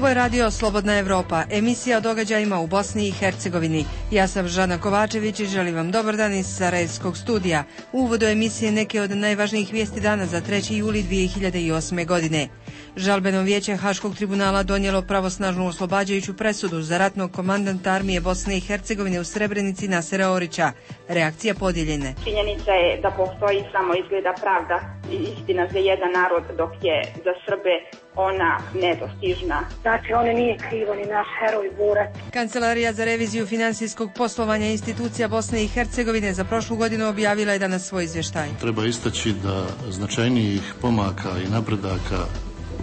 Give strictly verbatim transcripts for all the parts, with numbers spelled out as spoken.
Ovo je radio Slobodna Evropa, emisija o događajima u Bosni i Hercegovini. Ja sam Žana Kovačević i želim vam dobar dan iz Sarajevskog studija. U uvodu emisije neke od najvažnijih vijesti dana za treći juli dvije hiljade osme. godine. Žalbeno vijeće Haškog tribunala donijelo pravosnažnu oslobađajuću presudu za ratnog komandanta armije Bosne i Hercegovine u Srebrenici Nasera Orića. Reakcija podijeljene. Činjenica je da postoji samo izgleda pravda i istina za jedan narod, dok je za Srbe ona nedostižna. Znači, on nije krivo ni naš heroj borac. Kancelarija za reviziju finansijskog poslovanja institucija Bosne i Hercegovine za prošlu godinu objavila je danas svoj izvještaj. Treba istaći da značajnijih pomaka i napredaka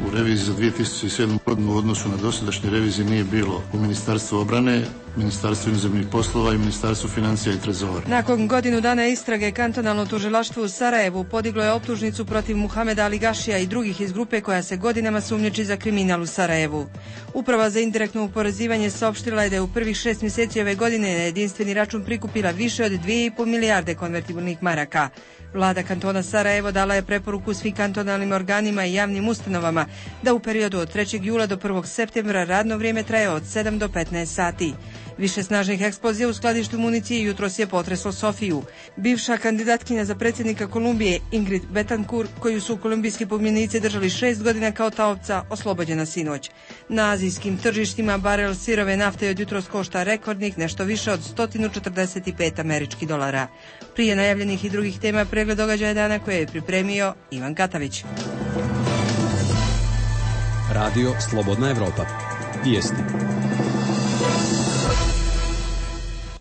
u reviziji za dvije tisuće sedmu. godinu u odnosu na dosadašnje revizije nije bilo u Ministarstvu obrane, Ministarstvu inozemnih poslova i Ministarstvu financija i trezora. Nakon godinu dana istrage, kantonalno tužilaštvo u Sarajevu podiglo je optužnicu protiv Muhameda Ali Gašija i drugih iz grupe koja se godinama sumnjiči za kriminal u Sarajevu. Uprava za indirektno oporezivanje saopštila je da je u prvih šest mjeseci ove godine na jedinstveni račun prikupila više od dvije i pol milijarde konvertibilnih maraka. Vlada kantona Sarajevo dala je preporuku svim kantonalnim organima i javnim ustanovama da u periodu od trećeg jula do prvog septembra radno vrijeme traje od sedam do petnaest sati. Više snažnih eksplozija u skladištu municije jutros je potreslo Sofiju. Bivša kandidatkinja za predsjednika Kolumbije Ingrid Betancourt, koju su kolumbijski pobunjenici držali šest godina kao taoca, oslobođena sinoć. Na azijskim tržištima barel sirove nafte od jutros košta rekordnih nešto više od sto četrdeset pet američkih dolara. Prije najavljenih i drugih tema pregled događaja dana koje je pripremio Ivan Katavić. Radio Slobodna Evropa. Vijesti.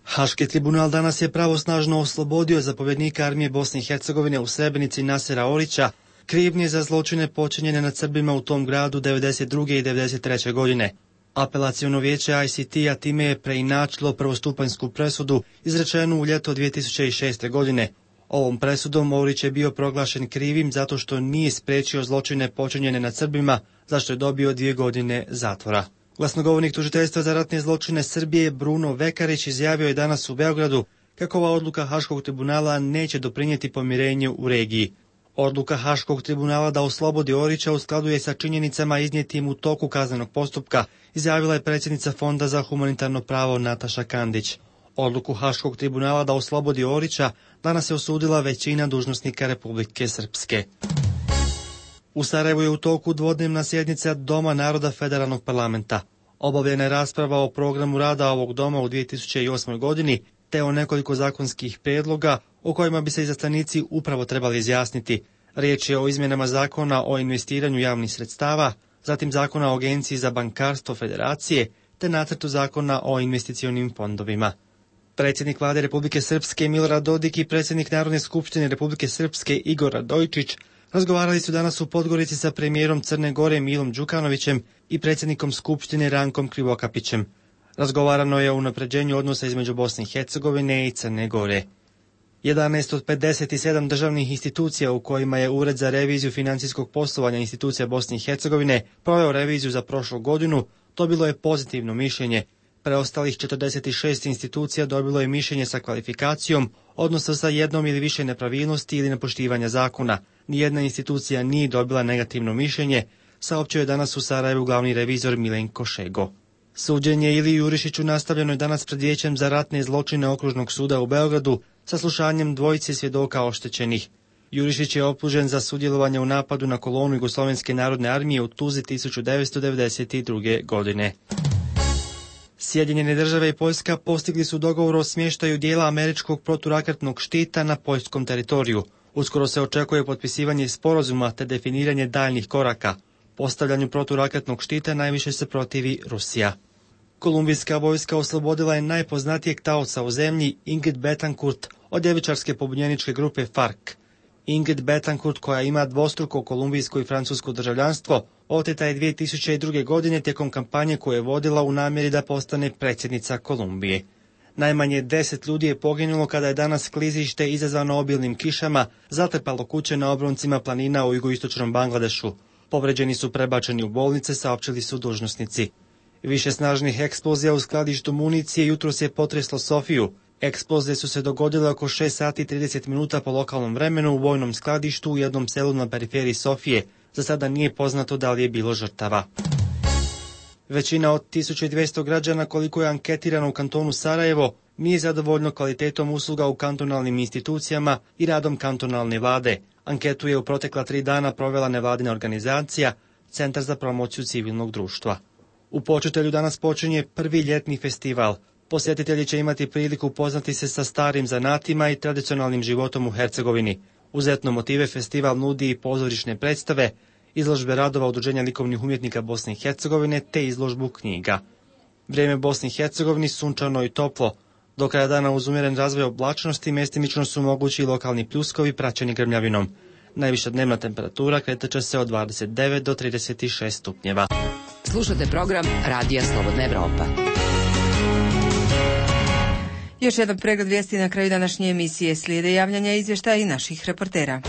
Haški tribunal danas je pravosnažno oslobodio zapovjednika armije Bosne i Hercegovine u Srebrenici Nasera Orića, krivnje za zločine počinjene nad Srbima u tom gradu devedeset druge i devedeset treće. godine. Apelaciono vijeće I C T-a time je preinačilo prvostupanjsku presudu izrečenu u ljeto dvije tisuće šeste. godine. Ovom presudom Orić je bio proglašen krivim zato što nije spriječio zločine počinjene nad Srbima, za što je dobio dvije godine zatvora. Glasnogovornik tužiteljstva za ratne zločine Srbije Bruno Vekarić izjavio je danas u Beogradu kako ova odluka Haškog tribunala neće doprinijeti pomirenju u regiji. Odluka Haškog tribunala da oslobodi Orića u skladu je sa činjenicama iznijetim u toku kaznenog postupka, izjavila je predsjednica Fonda za humanitarno pravo Nataša Kandić. Odluku Haškog tribunala da oslobodi Orića danas je osudila većina dužnosnika Republike Srpske. U Sarajevu je u toku dvodnevna sjednica Doma naroda Federalnog parlamenta. Obavljena je rasprava o programu rada ovog doma u dvije tisuće osmoj. godini, te o nekoliko zakonskih prijedloga o kojima bi se izaslanici upravo trebali izjasniti. Riječ je o izmjenama zakona o investiranju javnih sredstava, zatim zakona o Agenciji za bankarstvo Federacije, te nacrtu zakona o investicionim fondovima. Predsjednik vlade Republike Srpske Milorad Dodik i predsjednik Narodne skupštine Republike Srpske Igor Radojčić razgovarali su danas u Podgorici sa premijerom Crne Gore Milom Đukanovićem i predsjednikom Skupštine Rankom Krivokapićem. Razgovarano je o unapređenju odnosa između Bosne i Hercegovine i Crne Gore. jedanaest od pedeset sedam državnih institucija u kojima je Ured za reviziju financijskog poslovanja institucija Bosne i Hercegovine proveo reviziju za prošlu godinu, dobilo je pozitivno mišljenje. Preostalih četrdeset šest institucija dobilo je mišljenje sa kvalifikacijom, odnosno sa jednom ili više nepravilnosti ili nepoštivanja zakona. Nijedna institucija nije dobila negativno mišljenje, saopćio je danas u Sarajevu glavni revizor Milenko Šego. Suđenje Iliji Jurišiću nastavljeno je danas pred Vijećem za ratne zločine Okružnog suda u Beogradu sa slušanjem dvojice svjedoka oštećenih. Jurišić je optužen za sudjelovanje u napadu na kolonu Jugoslovenske narodne armije u Tuzi tisuću devetsto devedeset druge. godine. Sjedinjene države i Poljska postigli su dogovor o smještaju dijela američkog proturaketnog štita na poljskom teritoriju. Uskoro se očekuje potpisivanje sporazuma te definiranje daljnjih koraka. Postavljanju proturaketnog štita najviše se protivi Rusija. Kolumbijska vojska oslobodila je najpoznatijeg taoca u zemlji Ingrid Betancourt od ljevičarske pobunjeničke grupe FARC. Ingrid Betancourt, koja ima dvostruko kolumbijsko i francusko državljanstvo, oteta je dvije tisuće druge. godine tijekom kampanje koju je vodila u namjeri da postane predsjednica Kolumbije. Najmanje deset ljudi je poginulo kada je danas klizište izazvano obilnim kišama zatrpalo kuće na obroncima planina u jugoistočnom Bangladešu. Povređeni su prebačeni u bolnice, saopćili su dužnosnici. Više snažnih eksplozija u skladištu municije jutros je potreslo Sofiju. Eksplozije su se dogodile oko šest sati i trideset minuta po lokalnom vremenu u vojnom skladištu u jednom selu na periferiji Sofije. Za sada nije poznato da li je bilo žrtava. Većina od tisuću dvjesto građana koliko je anketirano u kantonu Sarajevo nije zadovoljno kvalitetom usluga u kantonalnim institucijama i radom kantonalne vlade. Anketu je u protekla tri dana provela nevladina organizacija Centar za promociju civilnog društva. U Počitelju danas počinje prvi ljetni festival. Posjetitelji će imati priliku upoznati se sa starim zanatima i tradicionalnim životom u Hercegovini. Uz etno motive festival nudi i pozorišne predstave, izložbe radova Udruženja likovnih umjetnika Bosne i Hercegovine te izložbu knjiga. Vrijeme Bosni i Hercegovini sunčano i toplo. Do kraja dana uz umjeren razvoj oblačnosti mjestimično su mogući i lokalni pljuskovi praćeni grmljavinom. Najviša dnevna temperatura kretat će se od dvadeset devet do trideset šest stupnjeva. Slušate program Radija Slobodna Evropa. Još jedan pregled vijesti na kraju današnje emisije. Slijede javljanja izvještaja i naših reportera.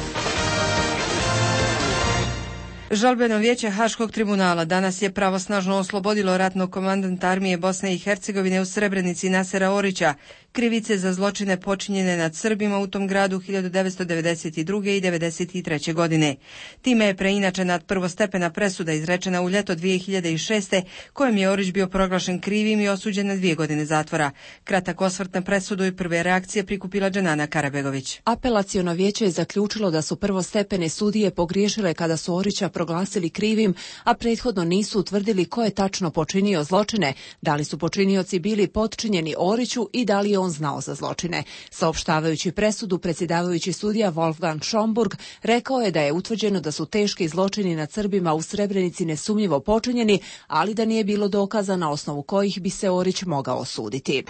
Žalbeno vijeće Haškog tribunala danas je pravosnažno oslobodilo ratnog komandanta armije Bosne i Hercegovine u Srebrenici Nasera Orića, krivice za zločine počinjene nad Srbima u tom gradu hiljadu devetsto devedeset druge. i devedeset treće. godine. Time je preinačena prvostepena presuda izrečena u ljeto dvije hiljade šeste. kojem je Orić bio proglašen krivim i osuđen na dvije godine zatvora. Kratak osvrt na presudu i prve reakcije prikupila Dženana Karabegović. Apelaciono vijeće je zaključilo da su prvostepene sudije pogriješile kada su Orića proglasili krivim, a prethodno nisu utvrdili ko je tačno počinio zločine, da li su počinioci bili potčinjeni Oriću i da li je on znao za zločine. Saopštavajući presudu, predsjedavajući sudija Wolfgang Schomburg rekao je da je utvrđeno da su teški zločini nad Srbima u Srebrenici nesumnjivo počinjeni, ali da nije bilo dokaza na osnovu kojih bi se Orić mogao osuditi.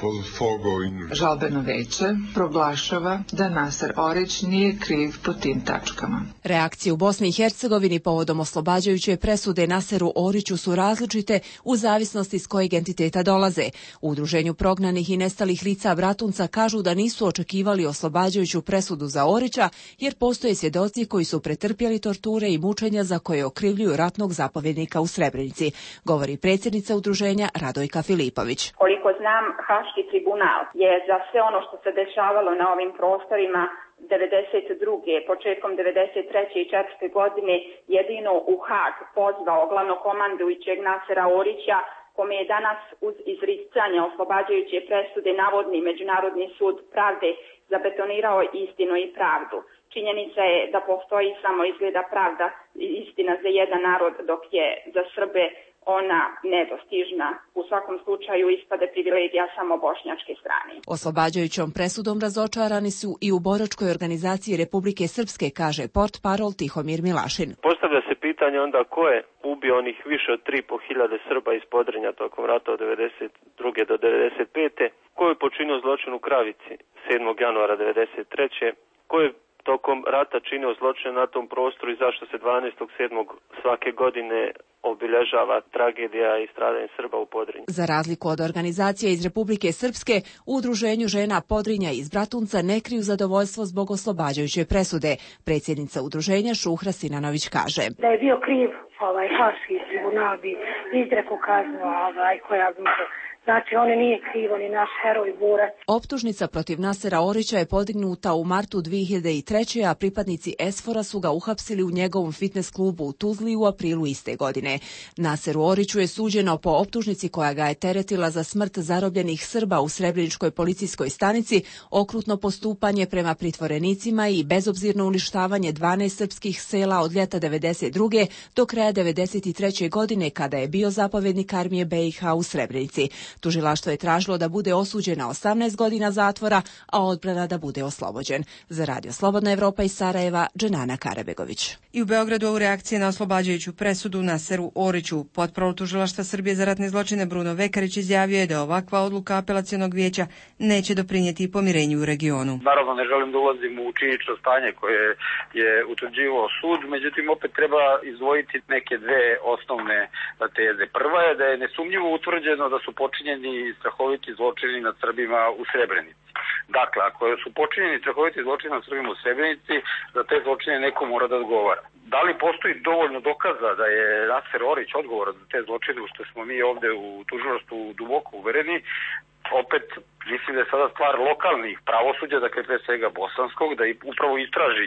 Žalbeno vijeće proglašava da Naser Orić nije kriv po tim tačkama. Reakcije u Bosni i Hercegovini povodom oslobađajuće presude Naseru Oriću su različite u zavisnosti s kojeg entiteta dolaze. U Udruženju prognanih i nestalih lica Bratunca kažu da nisu očekivali oslobađajuću presudu za Orića, jer postoje svjedoci koji su pretrpjeli torture i mučenja za koje okrivljuju ratnog zapovjednika u Srebrenici, govori predsjednica udruženja Radojka Filipović. Koliko znam, Haški tribunal je za sve ono što se dešavalo na ovim prostorima devedeset druge. početkom devedeset treće. i četvrte. godine jedino u Hag pozvao glavnokomandujućeg Nasera Orića, kome je danas uz izricanje oslobađajuće presude navodni Međunarodni sud pravde zabetonirao istinu i pravdu. Činjenica je da postoji samo izgleda pravda i istina za jedan narod, dok je za Srbe ona nedostižna. U svakom slučaju ispade privilegija samo bošnjačke strane. Oslobađajućom presudom razočarani su i u boračkoj organizaciji Republike Srpske, kaže portparol Tihomir Milašin. Postavlja se pitanje onda ko je ubio onih više od tri i po hiljade Srba iz Podrinja tokom rata od devedeset druge. do devedeset pete. Ko je počinio zločin u Kravici sedmog januara devedeset treće. Ko je tokom rata činio zločine na tom prostoru i zašto se dvanaestog sedmog svake godine obilježava tragedija i stradanje Srba u Podrinju. Za razliku od organizacije iz Republike Srpske, u Udruženju žena Podrinja iz Bratunca ne kriju zadovoljstvo zbog oslobađajuće presude. Predsjednica udruženja Šuhra Sinanović kaže: Da je bio kriv ovaj Haški tribunal bi izrekao kaznu ovaj, koja bi Znači, on nije kriv, on je naš heroj, borac. Optužnica protiv Nasera Orića je podignuta u martu dvije hiljade treće. a pripadnici Esfora su ga uhapsili u njegovom fitness klubu u Tuzli u aprilu iste godine. Naseru Oriću je suđeno po optužnici koja ga je teretila za smrt zarobljenih Srba u Srebreničkoj policijskoj stanici, okrutno postupanje prema pritvorenicima i bezobzirno uništavanje dvanaest srpskih sela od ljeta devedeset druge. do kraja devedeset treće. godine kada je bio zapovjednik armije B i H u Srebrenici. Tužilaštvo je tražilo da bude osuđen na osamnaest godina zatvora, a odbrana da bude oslobođen. Za Radio Slobodna Evropa iz Sarajeva, Dženana Karabegović. I u Beogradu u reakcije na oslobađajuću presudu Naseru Oriću, portparol Tužilaštva Srbije za ratne zločine Bruno Vekarić izjavio je da ovakva odluka apelacionog vijeća neće doprinijeti pomirenju u regionu. Naravno ne želim da ulazim u činjenično stanje koje je utvrđivao sud, međutim opet treba izdvojiti neke dve osnovne teze. Prva je da je nesumnjivo utvrđeno da su počinjeni strahoviti zločini nad Srbima u Srebrenici. Dakle, ako su počinjeni strahoviti zločini nad Srbima u Srebrenici, za te zločine neko mora da odgovara. Da li postoji dovoljno dokaza da je Naser Orić odgovoran za te zločine, u što smo mi ovde u tužilaštvu duboko uvereni? Opet, mislim da je sada stvar lokalnih pravosuđa, dakle pre svega bosanskog, da upravo istraži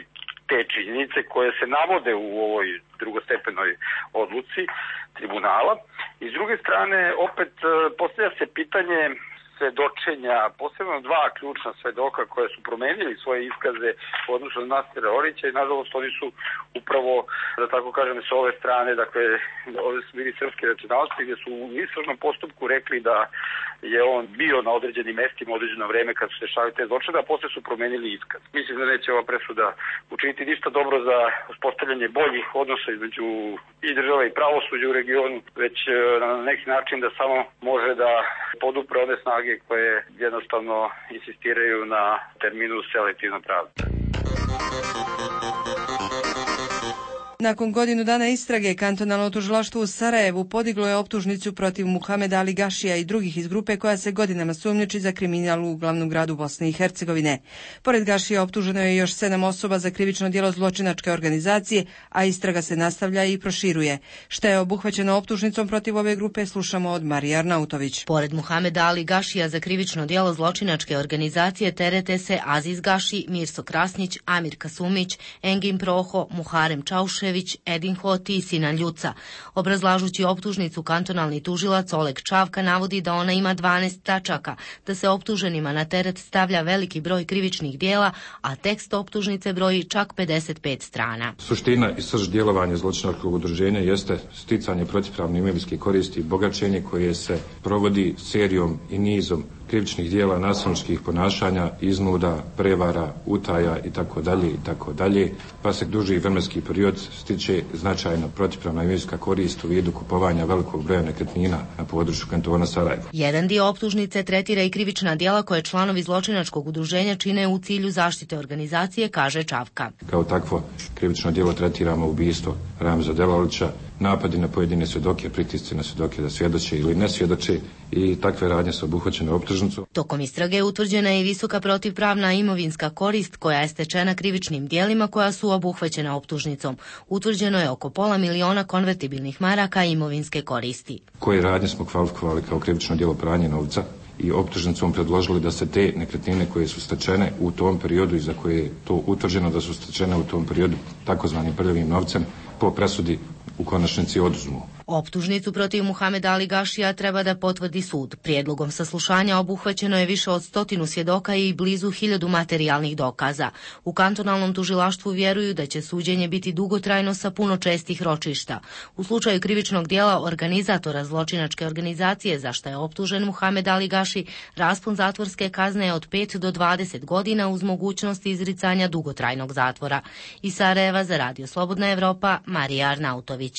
te činjenice koje se navode u ovoj drugostepenoj odluci tribunala. I s druge strane, opet postavlja se pitanje svedočenja, posebno dva ključna svedoka koje su promenili svoje iskaze u odnosu na Nasera Orića i nažalost oni su upravo, da tako kažem, s ove strane, dakle, ovdje su bili srpske nacionalnosti gdje su u istražnom postupku rekli da je on bio na određenim mestima određeno vreme kad su se dešavali te zločine, a posle su promenili iskaz. Mislim da neće ova presuda učiniti ništa dobro za uspostavljanje boljih odnosa između i države i pravosuđa u regionu, već na neki način da samo može da podupre one snage koje jednostavno insistiraju na terminu selektivna pravda. Nakon godinu dana istrage, kantonalno tužilaštvo u Sarajevu podiglo je optužnicu protiv Muhameda Ali Gašija i drugih iz grupe koja se godinama sumnjiči za kriminal u glavnom gradu Bosne i Hercegovine. Pored Gašija optuženo je još sedam osoba za krivično djelo zločinačke organizacije, a istraga se nastavlja i proširuje. Šta je obuhvaćeno optužnicom protiv ove grupe, slušamo od Marije Arnautović. Pored Muhameda Ali Gašija za krivično djelo zločinačke organizacije terete se Aziz Gaši, Mirso Krasnić, Amir Kasumić, Engin Proho, Muharem Čauše, Edin Hoti i Sinan Ljuca. Obrazlažući optužnicu, kantonalni tužilac Oleg Čavka navodi da ona ima dvanaest tačaka, da se optuženima na teret stavlja veliki broj krivičnih dijela, a tekst optužnice broji čak pedeset pet strana. Suština i srž djelovanja zločinačkog udruženja jeste sticanje protivpravne imovinske koristi i bogaćenje koje se provodi serijom i nizom krivičnih dijela, nasilničkih ponašanja, iznuda, prevara, utaja i tako dalje i tako dalje, pa se duži vremenski period stiče značajna protivpravna imovinska korist u vidu kupovanja velikog broja nekretnina na području kantona Sarajevo. Jedan dio optužnice tretira i krivična djela koje članovi zločinačkog udruženja čine u cilju zaštite organizacije, kaže Čavka. Kao takvo krivično djelo tretiramo ubistvo Ramza Delalića, napadi na pojedine svjedoke, pritisci na svjedoke da svjedoče ili ne svjedoče i takve radnje su obuhvaćene optužnicom. Tokom istrage utvrđena je i visoka protivpravna imovinska korist koja je stečena krivičnim djelima koja su obuhvaćena optužnicom. Utvrđeno je oko pola miliona konvertibilnih maraka imovinske koristi. Koje radnje smo kvalifikovali kao krivično djelo pranja novca i optužnicom predložili da se te nekretnine koje su stečene u tom periodu i za koje je to utvrđeno da su stečene u tom periodu takozvanim prljavim novcem po presudi u konačnici oduzmu. Optužnicu protiv Muhameda Ali Gašija treba da potvrdi sud. Prijedlogom saslušanja obuhvaćeno je više od stotinu svjedoka i blizu hiljadu materijalnih dokaza. U kantonalnom tužilaštvu vjeruju da će suđenje biti dugotrajno sa puno čestih ročišta. U slučaju krivičnog dijela organizatora zločinačke organizacije za što je optužen Muhamed Ali Gaši, raspon zatvorske kazne je od pet do dvadeset godina uz mogućnost izricanja dugotrajnog zatvora. Iz Sarajeva za Radio Slobodna Evropa, Marija Arnautović.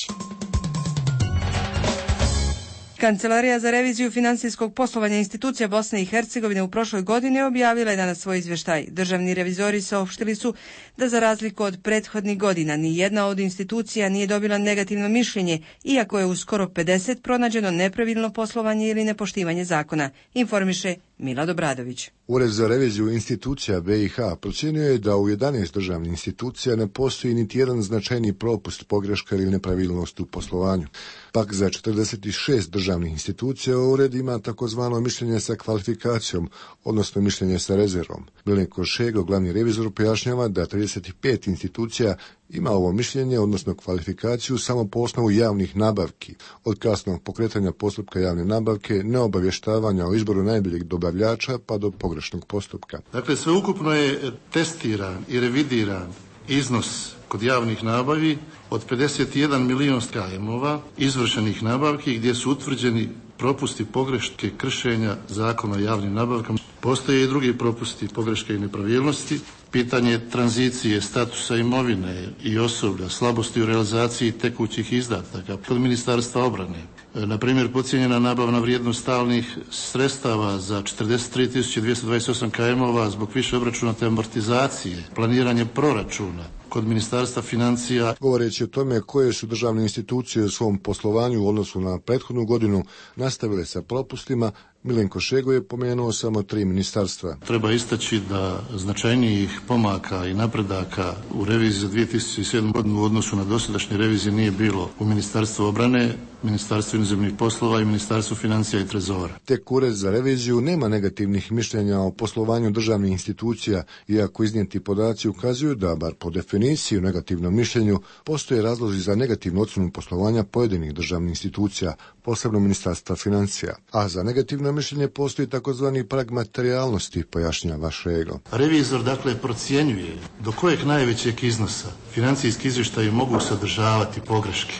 Kancelarija za reviziju finansijskog poslovanja institucija Bosne i Hercegovine u prošloj godini objavila je danas svoj izvještaj. Državni revizori saopštili su da za razliku od prethodnih godina ni jedna od institucija nije dobila negativno mišljenje, iako je u skoro pedeset pronađeno nepravilno poslovanje ili nepoštivanje zakona, informiše Milad Obradović. Ured za reviziju institucija B i H procijenio je da u jedanaest državnih institucija ne postoji niti jedan značajni propust, pogreška ili nepravilnost u poslovanju. Pak za četrdeset šest državnih institucija ured ima takozvano mišljenje sa kvalifikacijom, odnosno mišljenje sa rezervom. Milenko Šego, glavni revizor, pojašnjava da trideset pet institucija ima ovo mišljenje, odnosno kvalifikaciju, samo po osnovu javnih nabavki, od kasnog pokretanja postupka javne nabavke, neobavještavanja o izboru najboljeg dobavljača pa do pogrešnog postupka. Dakle, sveukupno je testiran i revidiran iznos kod javnih nabavi od pedeset jedan milion kajmova izvršenih nabavki gdje su utvrđeni propusti, pogreške, kršenja zakona o javnim nabavkama. Postoje i drugi propusti, pogreške i nepravilnosti. Pitanje tranzicije, statusa imovine i osoblja, slabosti u realizaciji tekućih izdataka kod Ministarstva obrane. Na primjer, podcijenjena nabavna vrijednost stalnih sredstava za četrdeset tri tisuće dvjesto dvadeset osam kajmova zbog više obračunate amortizacije, planiranje proračuna kod Ministarstva financija. Govoreći o tome koje su državne institucije u svom poslovanju u odnosu na prethodnu godinu nastavile sa propustima, Milenko Šego je pomenuo samo tri ministarstva. Treba istaći da značajnijih pomaka i napredaka u reviziji za dvije tisuće sedmu godinu u odnosu na dosadašnje revizije nije bilo u Ministarstvu obrane, Ministarstvu inozemnih poslova i Ministarstvu financija i trezora. Tek Ured za reviziju nema negativnih mišljenja o poslovanju državnih institucija, iako iznijeti podaci ukazuju da, bar po definiciji definiciji u negativnom mišljenju postoje razlozi za negativnu ocjenu poslovanja pojedinih državnih institucija, posebno Ministarstva financija, a za negativno mišljenje postoji takozvani prag materijalnosti, pojašnjava Šegl. Revizor dakle procjenjuje do kojeg najvećeg iznosa financijski izvještaji mogu sadržavati pogreške.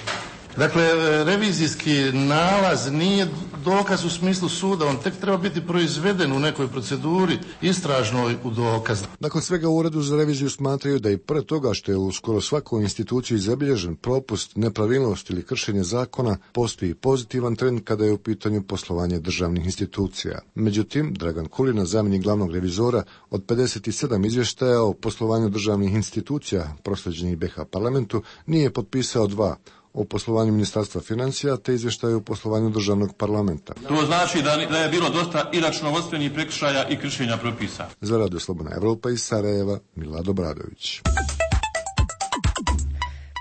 Dakle, revizijski nalaz nije dokaz u smislu suda, on tek treba biti proizveden u nekoj proceduri istražnoj u dokaz. Nakon svega u Uredu za reviziju smatraju da i pre toga što je u skoro svakoj instituciji zabilježen propust, nepravilnost ili kršenje zakona, postoji pozitivan trend kada je u pitanju poslovanje državnih institucija. Međutim, Dragan Kulina, zamjenik glavnog revizora, od pedeset sedam izvještaja o poslovanju državnih institucija proslijeđenih be ha parlamentu nije potpisao dva, o poslovanju Ministarstva financija te izvještaju o poslovanju državnog parlamenta. To znači da, da je bilo dosta i računovodstvenih prekršaja i kršenja propisa. Za Radio Slobodna Evropa iz Sarajeva, Milad Obradović.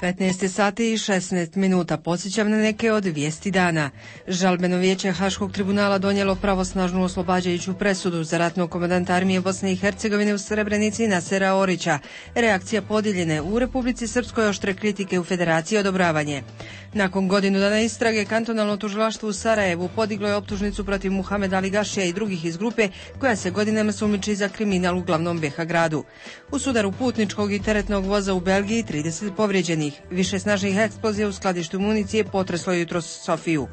petnaest sati i šesnaest minuta. Podsjećam na neke od vijesti dana. Žalbeno vijeće Haškog tribunala donijelo pravosnažnu oslobađajuću presudu za ratnog komandanta armije Bosne i Hercegovine u Srebrenici Nasera Orića. Reakcija podijeljene u Republici Srpskoj, oštre kritike, u Federaciji odobravanje. Nakon godinu dana istrage, kantonalno tužilaštvo u Sarajevu podiglo je optužnicu protiv Muhameda Aligašija i drugih iz grupe koja se godinama sumnjiči za kriminal u glavnom be ha gradu. U sudaru putničkog i teretnog voza u Belgiji trideset povrijeđenih. Više snažnih eksplozija u skladištu municije potreslo jutros Sofiju.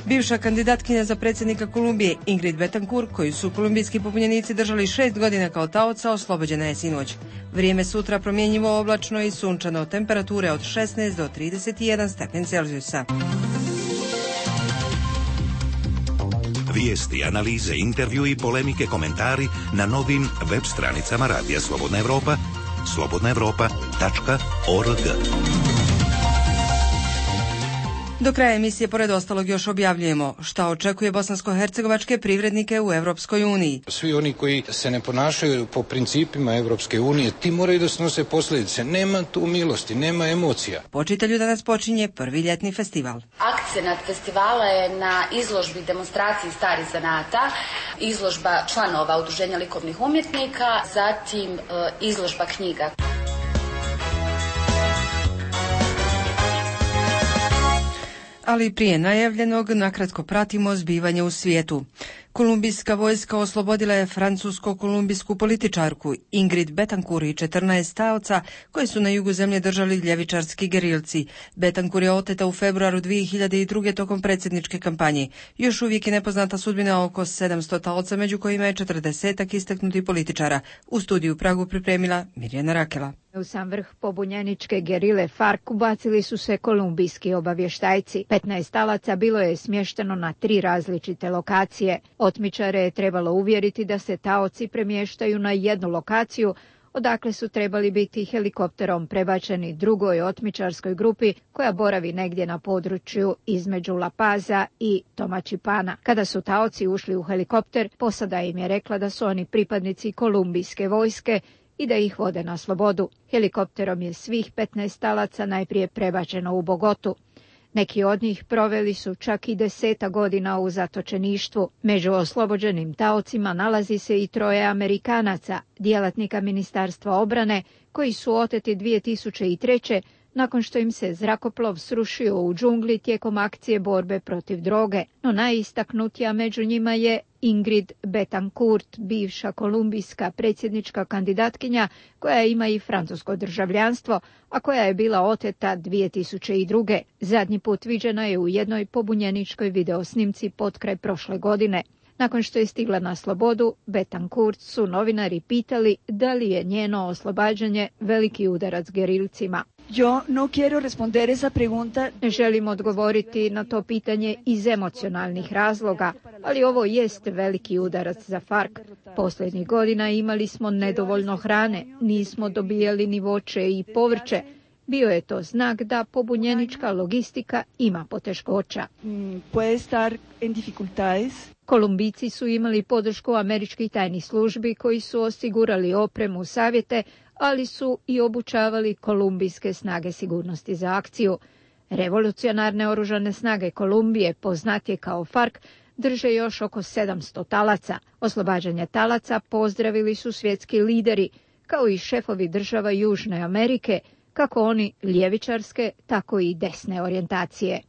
Bivša kandidatkinja za predsjednika Kolumbije Ingrid Betancourt, koju su kolumbijski pobunjenici držali šest godina kao taoca, oslobođena je sinoć. Vrijeme sutra promjenjivo, oblačno i sunčano, temperature od šesnaest do trideset jedan stepen Celzijusa. Vijesti, analize, intervju i polemike, komentari na novim web stranicama Radija Slobodna Evropa, slobodna evropa tačka org. Do kraja emisije, pored ostalog, još objavljujemo šta očekuje bosansko-hercegovačke privrednike u Evropskoj uniji. Svi oni koji se ne ponašaju po principima Evropske unije, ti moraju da snose posljedice. Nema tu milosti, nema emocija. Po čitalju danas počinje prvi ljetni festival. Akcenat festivala je na izložbi demonstraciji starih zanata, izložba članova Udruženja likovnih umjetnika, zatim e, izložba knjiga. Ali prije najavljenog nakratko pratimo zbivanje u svijetu. Kolumbijska vojska oslobodila je francusko-kolumbijsku političarku Ingrid Betancourt i četrnaest taoca koji su na jugu zemlje držali ljevičarski gerilci. Betancourt je oteta u februaru dvije hiljade druge. tokom predsjedničke kampanje. Još uvijek je nepoznata sudbina oko sedamsto taoca, među kojima je četrdesetak istaknutih političara. U studiju u Pragu pripremila Mirjana Rakela. U sam vrh pobunjeničke gerile FARC ubacili su se kolumbijski obavještajci. petnaest talaca bilo je smješteno na tri različite lokacije. Otmičare je trebalo uvjeriti da se taoci premještaju na jednu lokaciju, odakle su trebali biti helikopterom prebačeni drugoj otmičarskoj grupi koja boravi negdje na području između La Paza i Tomačipana. Kada su taoci ušli u helikopter, posada im je rekla da su oni pripadnici kolumbijske vojske i da ih vode na slobodu. Helikopterom je svih petnaest talaca najprije prebačeno u Bogotu. Neki od njih proveli su čak i deseta godina u zatočeništvu. Među oslobođenim taocima nalazi se i troje Amerikanaca, djelatnika Ministarstva obrane, koji su oteti dvije tisuće treće. nakon što im se zrakoplov srušio u džungli tijekom akcije borbe protiv droge. No najistaknutija među njima je Ingrid Betancourt, bivša kolumbijska predsjednička kandidatkinja koja ima i francusko državljanstvo, a koja je bila oteta dvije tisuće druge. Zadnji put viđena je u jednoj pobunjeničkoj videosnimci potkraj prošle godine. Nakon što je stigla na slobodu, Betancourt su novinari pitali da li je njeno oslobađanje veliki udarac gerilcima. Yo no quiero responder esa pregunta. Ne želim odgovoriti na to pitanje iz emocionalnih razloga, ali ovo jest veliki udarac za FARC. Posljednjih godina imali smo nedovoljno hrane, nismo dobijali ni voće i povrće. Bio je to znak da pobunjenička logistika ima poteškoća. Puede estar en dificultades. Kolumbijci su imali podršku američkih tajnih službi koji su osigurali opremu, savjete, ali su i obučavali kolumbijske snage sigurnosti za akciju. Revolucionarne oružane snage Kolumbije, poznatije kao FARC, drže još oko sedamsto talaca. Oslobađanje talaca pozdravili su svjetski lideri. kao i šefovi država Južne Amerike, kako oni ljevičarske, tako i desne orijentacije.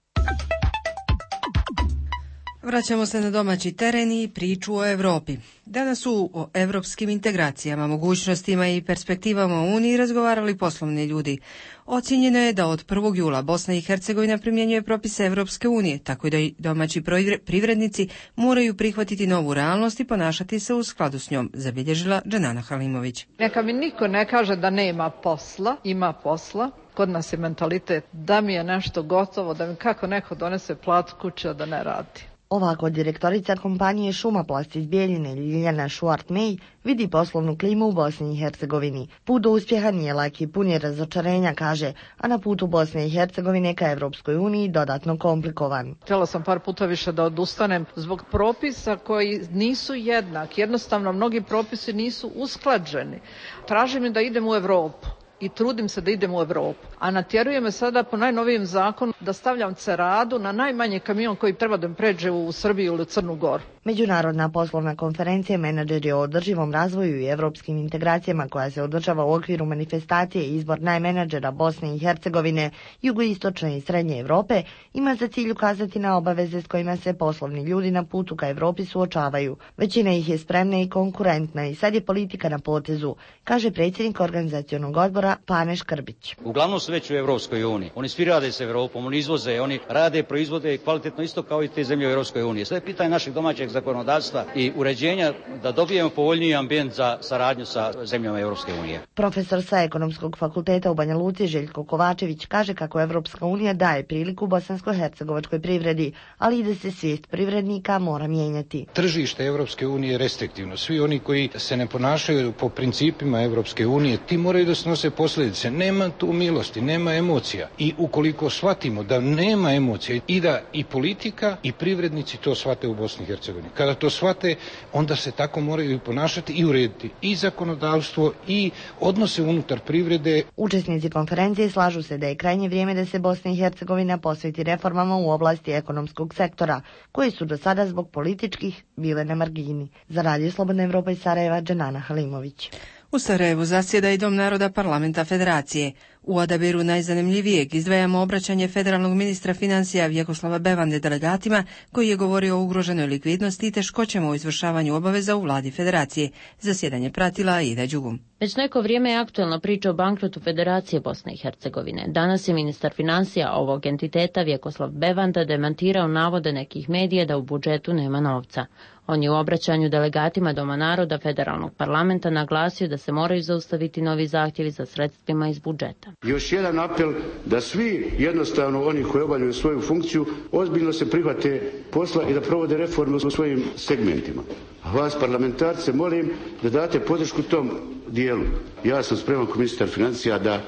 Vraćamo se na domaći teren i priču o Europi. Danas su o europskim integracijama, mogućnostima i perspektivama u Uniji razgovarali poslovni ljudi. Ocijenjeno je da od prvog jula Bosna i Hercegovina primjenjuje propise Europske unije, tako da i domaći privrednici moraju prihvatiti novu realnost i ponašati se u skladu s njom, zabilježila Dženana Halimović. Neka mi niko ne kaže da nema posla, ima posla. Kod nas je mentalitet da mi je nešto gotovo, da mi kako neko donese plat kuće da ne radi. Ovako direktorica kompanije Šumaplast iz Bijeljine Ljiljana Šuart-Mej vidi poslovnu klimu u Bosni i Hercegovini. Put do uspjeha nije lak i pun je razočarenja, kaže, a na putu Bosne i Hercegovine ka Evropskoj uniji dodatno komplikovan. Htjela sam par puta više da odustanem zbog propisa koji nisu jednaki. Jednostavno, mnogi propisi nisu usklađeni. Traži mi da idem u Evropu i trudim se da idem u Evropu. A natjeruje me sada po najnovijem zakonu da stavljam ceradu na najmanji kamion koji treba da mi pređe u Srbiju ili Crnu Goru. Međunarodna poslovna konferencija Menadžeri o održivom razvoju i evropskim integracijama koja se održava u okviru manifestacije Izbor najmenadžera Bosne i Hercegovine, jugoistočne i srednje Evrope ima za cilj ukazati na obaveze s kojima se poslovni ljudi na putu ka Evropi suočavaju. Većina ih je spremna i konkurentna i sad je politika na potezu, kaže predsjednik organizacionog odbora Pane Škrbić. Uglavnom su već u Evropskoj uniji. Oni svi rade s Evropom, oni izvoze, oni rade, proizvode kvalitetno isto kao i te zemlje u Evropskoj uniji. Sve je pitanje našeg domaćeg zakonodavstva i uređenja da dobijemo povoljniji ambijent za saradnju sa zemljama Evropske unije. Profesor sa Ekonomskog fakulteta u Banja Luci Željko Kovačević kaže kako Evropska unija daje priliku bosansko-hercegovačkoj privredi, ali i da se svijest privrednika mora mijenjati. Tržište Evropske unije je restriktivno. Svi oni koji se ne ponašaju po principima Evropske unije, ti moraju da snose posljedice. Nema tu milosti, nema emocija. I ukoliko shvatimo da nema emocija i da i politika i privrednici to shvate u Bosni i Hercegovini. Kada to shvate, onda se tako moraju ponašati i urediti i zakonodavstvo i odnose unutar privrede. Učesnici konferencije slažu se da je krajnje vrijeme da se Bosna i Hercegovina posveti reformama u oblasti ekonomskog sektora, koji su do sada zbog političkih bile na margini. Za Radio Slobodna Evropa iz Sarajeva, Dženana Halimović. U Sarajevu zasjeda i Dom naroda parlamenta federacije. U odabiru najzanimljivijeg izdvajamo obraćanje federalnog ministra financija Vjekoslava Bevande delegatima, koji je govorio o ugroženoj likvidnosti i teškoćama u izvršavanju obaveza u vladi federacije. Zasjedanje pratila Aida Đugum. Već neko vrijeme je aktuelna priča o bankrotu Federacije Bosne i Hercegovine. Danas je ministar financija ovog entiteta Vjekoslav Bevanda demantirao navode nekih medija da u budžetu nema novca. On je u obraćanju delegatima Doma naroda federalnog parlamenta naglasio da se moraju zaustaviti novi zahtjevi za sredstvima iz budžeta. Još jedan apel da svi jednostavno oni koji obavljaju svoju funkciju ozbiljno se prihvate posla i da provode reforme u svojim segmentima. A vas parlamentarce molim da date podršku tom dijelu. Ja sam spreman kao ministar financija da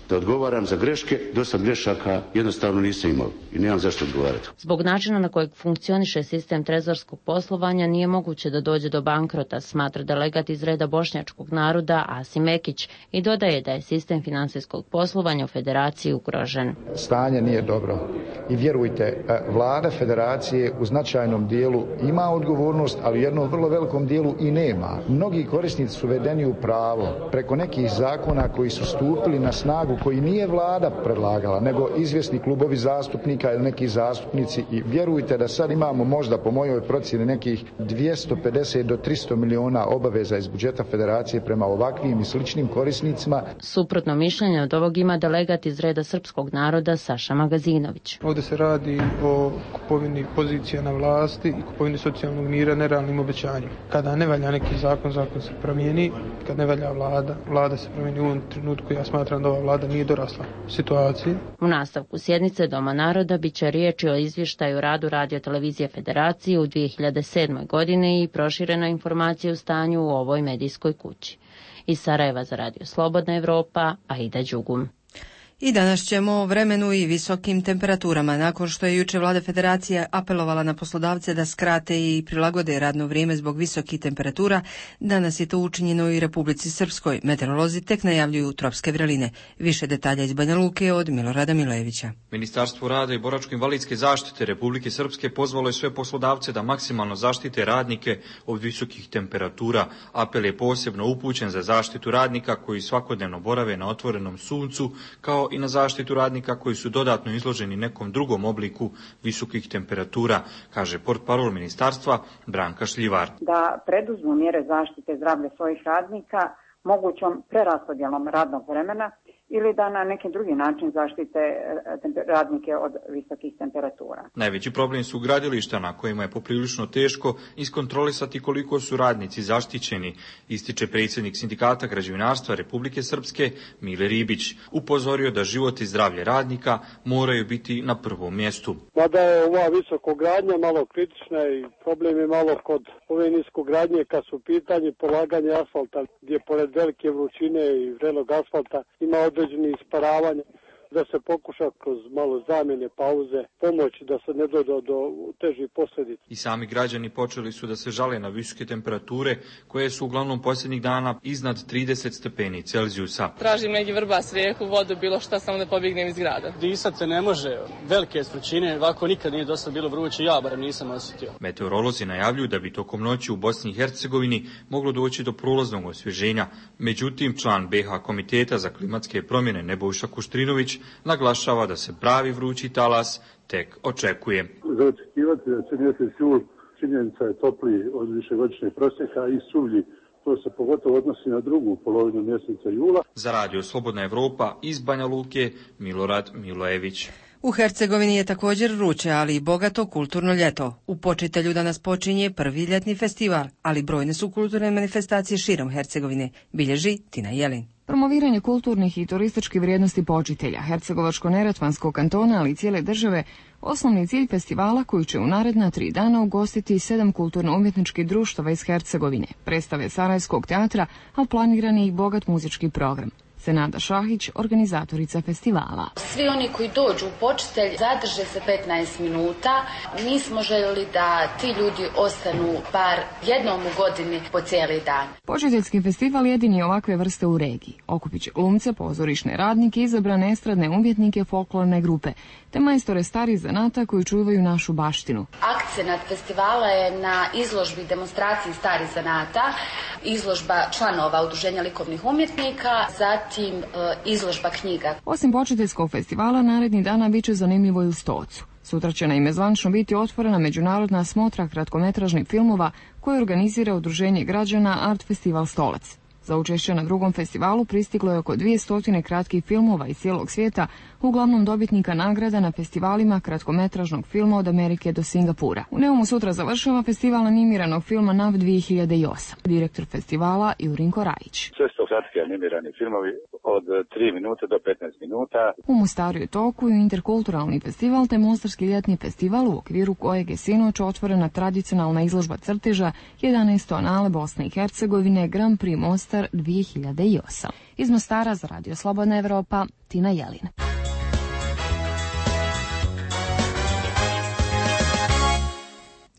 da odgovaram za greške, do sad grešaka jednostavno nisam imao i nemam zašto odgovarati. Zbog načina na kojeg funkcioniše sistem trezorskog poslovanja nije moguće da dođe do bankrota, smatra delegat iz reda bošnjačkog naroda Asim Ekić i dodaje da je sistem financijskog poslovanja u federaciji ugrožen. Stanje nije dobro i vjerujte, vlada federacije u značajnom dijelu ima odgovornost, ali u jednom vrlo velikom dijelu i nema. Mnogi korisnici su vedeni u pravo preko nekih zakona koji su stupili na snagu, koji nije vlada predlagala, nego izvjesni klubovi zastupnika ili neki zastupnici, i vjerujte da sad imamo možda po mojoj procjeni nekih dvjesto pedeset do tristo miliona obaveza iz budžeta federacije prema ovakvim i sličnim korisnicima. Suprotno mišljenje od ovog ima delegat iz reda srpskog naroda Saša Magazinović. Ovdje se radi o kupovini pozicija na vlasti i kupovini socijalnog mira nerealnim obećanjima. Kada ne valja neki zakon, zakon se promijeni, kad ne valja vlada, vlada se promijeni. U ovom trenutku ja smatram da ova vlada nije dorasla situaciji. U nastavku sjednice Doma naroda bit će riječi o izvještaju radu Radio-televizije Federacije u dvije hiljade sedmoj. godini i proširena informacija o stanju u ovoj medijskoj kući. Iz Sarajeva za Radio Slobodna Evropa, Aida Đugum. I danas ćemo o vremenu i visokim temperaturama. Nakon što je juče vlada Federacije apelovala na poslodavce da skrate i prilagode radno vrijeme zbog visokih temperatura, danas je to učinjeno i Republici Srpskoj. Meteorolozi tek najavljuju tropske vreline. Više detalja iz Banja Luke od Milorada Milojevića. Ministarstvo rada i boračko-invalidske zaštite Republike Srpske pozvalo je sve poslodavce da maksimalno zaštite radnike od visokih temperatura. Apel je posebno upućen za zaštitu radnika koji svakodnevno borave na otvorenom suncu, kao i na zaštitu radnika koji su dodatno izloženi nekom drugom obliku visokih temperatura, kaže portparol ministarstva Branka Šljivar. Da preduzmu mjere zaštite zdravlja svojih radnika mogućom preraspodjelom radnog vremena ili da na neki drugi način zaštite radnike od visokih temperatura. Najveći problem su gradilišta na kojima je poprilično teško iskontrolisati koliko su radnici zaštićeni, ističe predsjednik Sindikata građevinarstva Republike Srpske Mile Ribić. Upozorio da život i zdravlje radnika moraju biti na prvom mjestu. Mada je ova visokogradnja malo kritična i problem je malo kod ove niskogradnje kad su pitanje polaganje asfalta, gdje pored velike vrućine i vrelog asfalta ima određeni isparavanja, da se pokuša kroz malo zamjene, pauze, pomoći da se ne dođe do, do težih posljedica. I sami građani počeli su da se žale na visoke temperature koje su uglavnom posljednjih dana iznad trideset stepeni Celzijusa. Tražim neki vrbas, rijeku, vodu, bilo šta, samo da pobjegnem iz grada. Disat se ne može, velike stručine, ovako nikad nije dosta bilo vruće, ja barem nisam osjetio. Meteorolozi najavljuju da bi tokom noći u Bosni i Hercegovini moglo doći do prolaznog osvježenja. Međutim, član be ha Komiteta za klimatske promjene Nebojša Kuštrinović naglašava da se pravi vrući talas tek očekuje. Za očekivati da će mjesec jul činjenica je topliji od višegodišnjeg prosjeka i suvlji. To se pogotovo odnosi na drugu polovinu mjeseca jula. Za radio Slobodna Evropa iz Banja Luke, Milorad Milojević. U Hercegovini je također vruće, ali i bogato kulturno ljeto. U Počitelju danas počinje prvi ljetni festival, ali brojne su kulturne manifestacije širom Hercegovine, bilježi Tina Jelin. Promoviranje kulturnih i turističkih vrijednosti Počitelja, Hercegovačko-neretvanskog kantona, ali i cijele države, osnovni cilj festivala koji će u naredna tri dana ugostiti sedam kulturno-umjetničkih društava iz Hercegovine, predstave Sarajevskog teatra, a planirani i bogat muzički program. Senada Šahić, organizatorica festivala. Svi oni koji dođu u Počitelj zadrže se petnaest minuta. Mi smo željeli da ti ljudi ostanu bar jednom u godini po cijeli dan. Počiteljski festival jedini je ovakve vrste u regiji. Okupit će glumce, pozorišne radnike, izabrane estradne umjetnike, folklorne grupe, te majstore starih zanata koji čuvaju našu baštinu. Akcenat festivala je na izložbi i demonstraciji starih zanata, izložba članova Udruženja likovnih umjetnika, zatim Zatim izložba knjiga. Osim Počiteljskog festivala, naredni dana bit će zanimljivo i u Stocu. Sutra će naime zvančno biti otvorena međunarodna smotra kratkometražnih filmova koju organizira Udruženje građana Art Festival Stolac. Za učešće na drugom festivalu pristiglo je oko dvjesto kratkih filmova iz cijelog svijeta, uglavnom dobitnika nagrada na festivalima kratkometražnog filma od Amerike do Singapura. U Neumu sutra završava festival animiranog filma N A V dvije hiljade osam. Direktor festivala Jurinko Rajić. Sve su to kratki animirani filmovi od tri minute do petnaest minuta. U Mostaru je toku i interkulturalni festival te Mostarski ljetni festival u okviru kojeg je sinoć otvorena tradicionalna izložba crteža jedanaeste anale Bosne i Hercegovine Grand Prix Mostar dvije hiljade osam. Iz Mostara za radio Slobodna Evropa, Tina Jelin.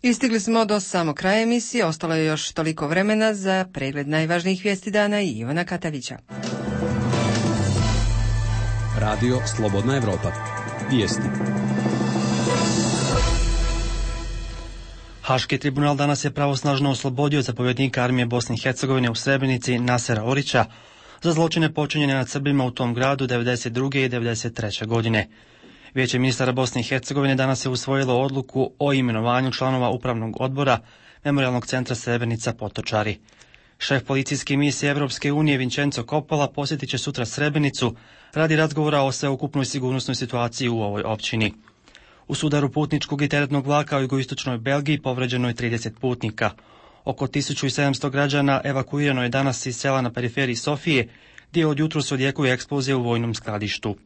Istigli smo do samog kraja emisije, ostalo je još toliko vremena za pregled najvažnijih vijesti dana i Ivana Katavića. Radio Slobodna Evropa. Vijesti. Haški tribunal danas je pravosnažno oslobodio zapovjednika armije Bosne i Hercegovine u Srebrenici Nasera Orića za zločine počinjene nad Srbima u tom gradu devedeset druge i devedeset treće godine. Vijeće ministara Bosne i Hercegovine danas je usvojilo odluku o imenovanju članova upravnog odbora Memorijalnog centra Srebrenica Potočari. Šef policijske misije Evropske unije Vincenzo Coppola posjetit će sutra Srebrenicu radi razgovora o sveukupnoj sigurnosnoj situaciji u ovoj općini. U sudaru putničkog i teretnog vlaka u jugoistočnoj Belgiji povređeno je trideset putnika. Oko tisuću sedamsto građana evakuirano je danas iz sela na periferiji Sofije, gdje od jutros odjekuje eksplozija u vojnom skladištu.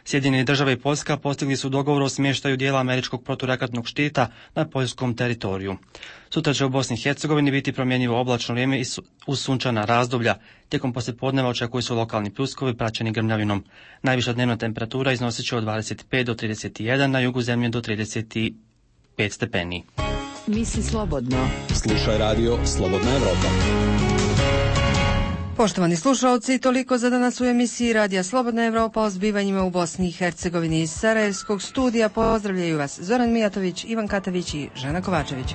Sjedinjene države i Poljska postigli su dogovor o smještaju dijela američkog proturaketnog štita na poljskom teritoriju. Sutra će u Bosni i Hercegovini biti promjenjivo oblačno vrijeme i uz sunčana razdoblja. Tijekom poslijepodneva očekuju su lokalni pljuskovi praćeni grmljavinom. Najviša dnevna temperatura iznosit će od dvadeset pet do trideset jedan, na jugu zemlje do trideset pet stepeni. Misli slobodno. Slušaj radio Slobodna Evropa. Poštovani slušalci, toliko za danas u emisiji Radija Slobodna Evropa o zbivanjima u Bosni i Hercegovini. Iz Sarajevskog studija pozdravljaju vas Zoran Mijatović, Ivan Katavić i Žana Kovačević.